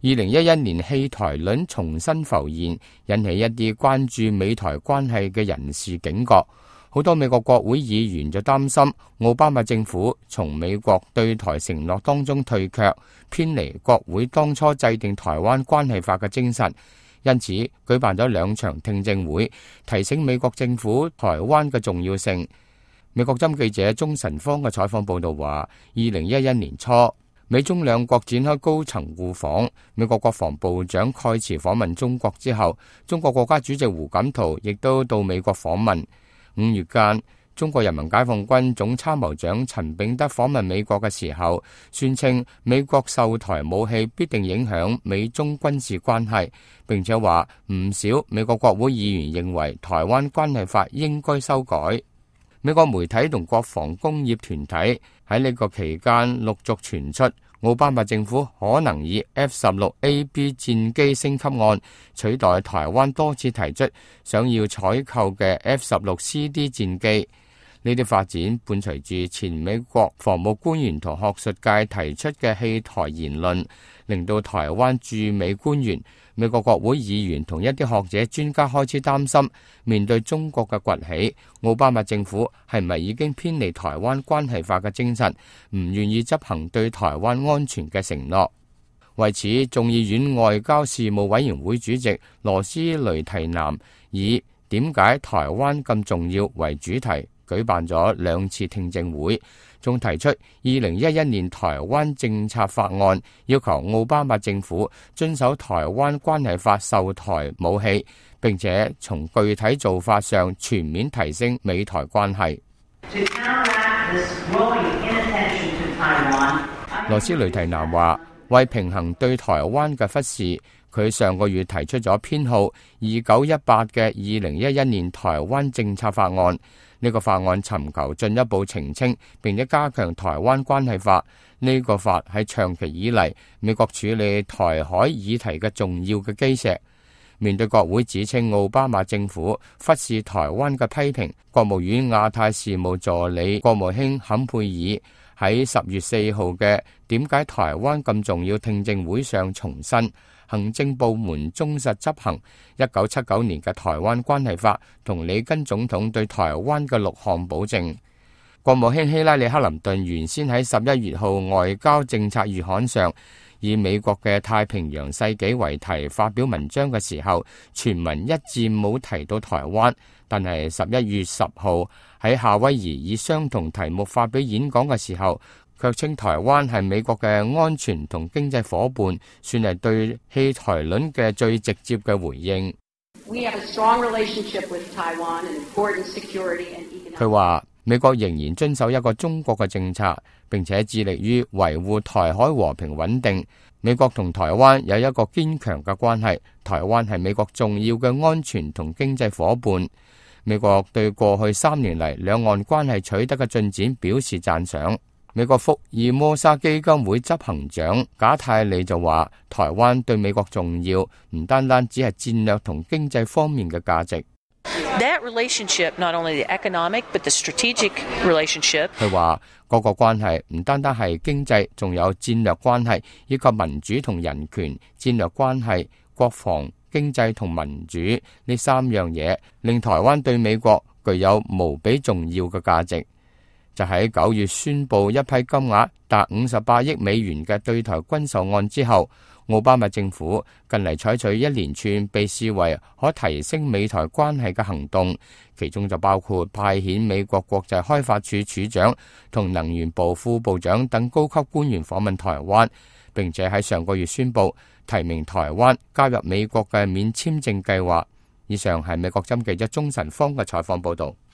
2011年棄台論重新浮現，引起一啲關注美台關係嘅人士警覺。好多美國國會議員就擔心奧巴馬政府從美國對台承諾當中退卻，偏離國會當初制定台灣關係法嘅精神，因此舉辦咗2場聽證會，提醒美國政府台灣嘅重要性。美國針記者鍾晨芳嘅採訪報道話，2011年初，美中兩國展開高層互訪，美國國防部長蓋茨訪問中國之後，中國國家主席胡錦濤亦都到美國訪問。5月間，中國人民解放軍總參謀長陳炳德訪問美國嘅時候，宣稱美國售台武器必定影響美中軍事關係，並且話唔少美國國會議員認為台灣關係法應該修改。美國媒體同國防工業團體喺呢個期間陸續傳出，奧巴馬政府可能以 F-16A/B 戰機升級案取代台灣多次提出想要採購嘅 F-16CD 戰機。呢啲發展伴隨住前美國防務官員同學術界提出嘅棄台言論，令到台灣駐美官員、美國國會議員同一啲學者專家開始擔心，面對中國嘅崛起，奧巴馬政府係咪已經偏離台灣關係法嘅精神，唔願意執行對台灣安全嘅承諾。為此，眾議院外交事務委員會主席羅斯雷提南以點解台灣咁重要為主題，舉辦咗2次聽證會，仲提出2011年台灣政策法案，要求奧巴馬政府遵守台灣關係法售台武器，並且從具體做法上全面提升美台關係。羅斯雷提南話，為平衡對台灣嘅忽視，佢上個月提出咗編號2918嘅2011年台灣政策法案。呢個法案尋求進一步澄清，並且加強台灣關係法。呢個法係長期以嚟美國處理台海議題嘅重要嘅基石。面對國會指稱奧巴馬政府忽視台灣嘅批評，國務院亞太事務助理國務卿坎佩爾喺10月4號嘅點解台灣咁重要聽證會上重申，行政部門忠實執行1979年嘅台灣關係法同里根總統對台灣嘅6項保證。國務卿希拉里克林頓原先喺11月號外交政策月刊上以美國嘅太平洋世紀為題發表文章嘅時候，全文一字冇提到台灣，但係11月10號喺夏威夷以相同題目發表演講嘅時候，卻稱台灣係美國嘅安全同經濟夥伴，算係對棄台論嘅最直接嘅回應。佢話美國仍然遵守一個中國嘅政策，並且致力於維護台海和平穩定。美國同台灣有一個堅強嘅關係，台灣係美國重要嘅安全同經濟夥伴。美國對過去3年嚟兩岸關係取得嘅進展表示讚賞。美國福爾摩沙基金會執行長賈泰利就話，台灣對美國重要，唔單單只係戰略同經濟方面嘅價值。That relationship, not only the economic, but the strategic relationship. 佢話各個關係唔單單係經濟，仲有戰略關係，以及民主同人權、戰略關係、國防、經濟同民主呢3樣嘢，令台灣對美國具有無比重要嘅價值。就喺9月宣布一批金額達58億美元嘅對台軍售案之後，奧巴馬政府近嚟採取一連串被視為可提升美台關係嘅行動，其中就包括派遣美國國際開發署署長同能源部副部長等高級官員訪問台灣，並且喺上個月宣布提名台灣加入美國嘅免簽證計劃。以上係美國針記者鍾晨芳嘅採訪報導。